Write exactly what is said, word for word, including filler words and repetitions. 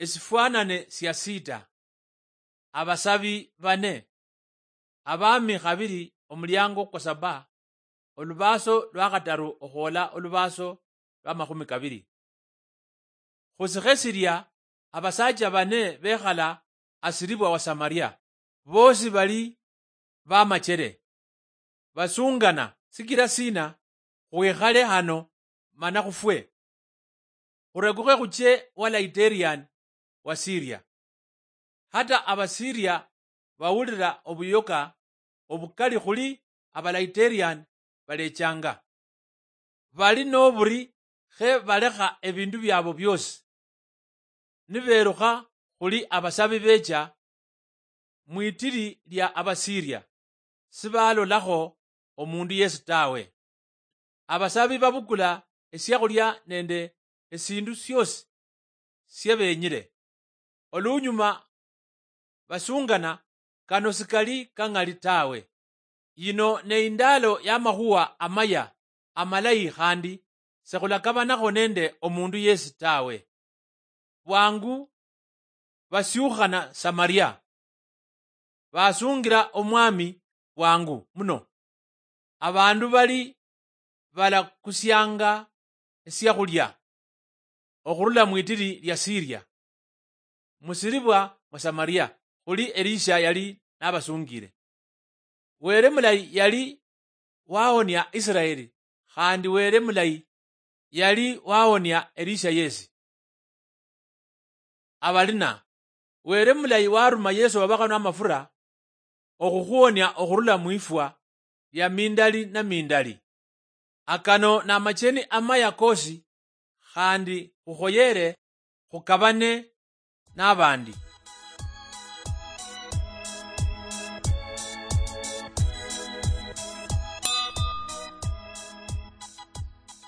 Esifwanane sia sita. Abasabi bane. Abami khabiri, omuliango kwa saba, olubaaso lwa khataru okhwola olubaaso lwa makhumi kabiri. Khusikhe silia, abasaacha bane bekhala asiribwa wa Samaria, boosi bali bamachere. Basungana, sikira sina khwikhale hano mana khufwe? Khurekukhe khuche wa Laiterian wa Siria. Hata Abasiria bawulira obuyoka obukali khuli Abalaiterian balechanga. Bali noburi khe balekha ebindu biabo biosi, niberukha khuli abasabi becha mwitiri lia Abasiria, sibalolakho omundu yesi tawe. Abasabi babukula esiakhulia nende esindu siosi siabenyire. Olunyuma basungana, kano sikali kang'ali tawe. Yino ne indaalo y'amakhuwa amaya amalayi khandi sekhulakabanakho nende omundu yesi tawe. Bwangu basiukhana Samaria, basungira omwami bwangu muno. Abandu bali balakusianga esiakhulia okhurula mwitiri lia Siria, musiribwa mwa Samaria, khuli Elisha yali nabasungire. Were mulayi yali wahonia Israeli, khandi Were mulayi yali wahonia Elisha yesi. Abalina, Were mulayi waruma Yesu wabakhanwa amafura okhukhuhonia okhurula mwifwa lia mindali na mindali. Akano namacheni amaya kosi, khandi khukhoyere khukabane nabandi.